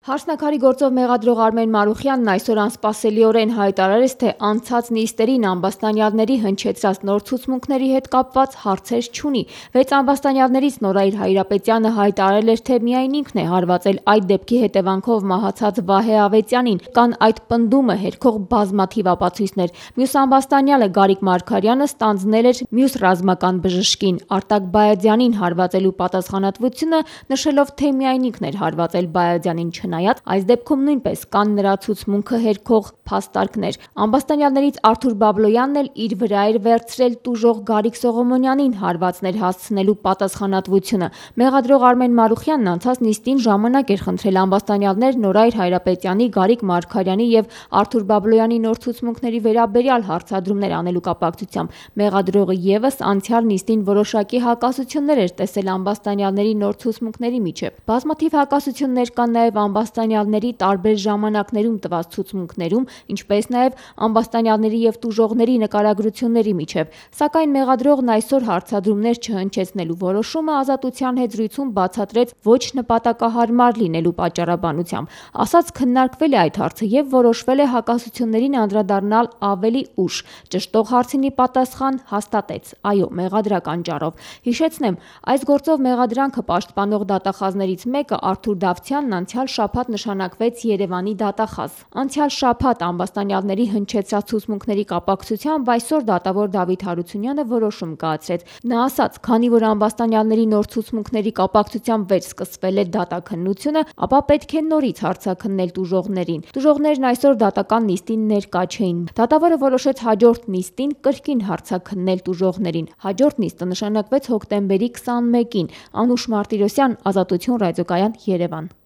Հարսնաքարի գործով մեղադրող Արմեն Մարուխյանն այսօր անսպասելիորեն հայտարարեց, թե անցած նիստերին ամբաստանյալների հնչեցրած նոր ցուցմունքների հետ կապված հարցեր չունի։ 6 ամբաստանյալներից Նորայր Հայրապետյանը հայտարարել էր, թե միայն ինքն է հարվածել այդ դեպքի հետևանքով մահացած Վահե Ավետյանին, կան այդ պնդումը հերքող բազմաթիվ ապացույցներ։ Մյուս ամբաստանյալը Գարիկ Մարգարյանը ստանձնել էր մյուս ռազմական բժշկին Արտակ Բայազյանին հարվածելու պատասխանատվությունը, նշելով, թե միայն ինքն էր հարվածել Բայազյանին, Չնայած այս դեպքում նույնպես կան նրա ցուցմունքը հերքող փաստարկներ։ Ամբաստանյալներից Արթուր Բաբլոյանն էլ իր վրա էր վերցրել տուժող Գարիկ Սողոմոնյանին հարվածներ հասցնելու պատասխանատվությունը։ Մեղադրող Արմեն Մարուխյանն անցած նիստին ժամանակ էր խնդրել ամբաստանյալներ Նորայր Հայրապետյանի, Գարիկ Մարգարյանի եւ Արթուր Բաբլոյանի նոր ցուցմունքների վերաբերյալ հարցադրումներ անելու կապակցությամբ։ Մեղադրողը եւս անցյալ նիստին որոշակի հակասություններ էր տեսել ամբաստանյալների նոր ցուցմունքների միջև։ Բազմաթիվ հակասություններ կան նաեւ ամբաստանյալների տարբեր ժամանակներում տված ցուցմունքներում, ինչպես նաև ամբաստանյալների եւ տուժողների նկարագրությունների միջև, սակայն մեղադրողն այսօր հարցադրումներ չհնչեցնելու որոշումը Ազատության հետ զրույցում բացատրեց ոչ նպատակահարմար լինելու պատճառաբանությամբ։ Ասաց քննարկվել է այդ հարցը եւ որոշվել է հակասություններին անդրադառնալ ավելի ուշ։ Ճշտող հարցինի պատասխան հաստատեց՝ այո, մեղադրական ճառով։ Հիշեցնեմ, այս գործով մեղադրանքը պաշտպանող դատախազներից մեկը Արթուր Դավթյանն անցյալ շաբաթ նշանակվեց Երևանի դատախազ։ Անցյալ շաբաթ ամբաստանյալների հնչեցրած ցուցմունքների կապակցությամբ այսօր դատավոր Դավիթ Հարությունյանը որոշում կայացրեց։ Նա ասաց, քանի որ ամբաստանյալների նոր ցուցմունքների կապակցությամբ վերսկսվել է դատաքննությունը, ապա պետք է նորից հարցաքննել տուժողներին։ Տուժողներն այսօր դատական նիստին ներկա չէին։ Դատավորը որոշեց հաջորդ նիստին կրկին հարցաքննել տուժողներին։ Հաջորդ նիստը նշանակվեց հոկտեմբերի 21-ին։ Անուշ Մարտիրոսյան, Ազատություն ռադիոկայան, Երևան։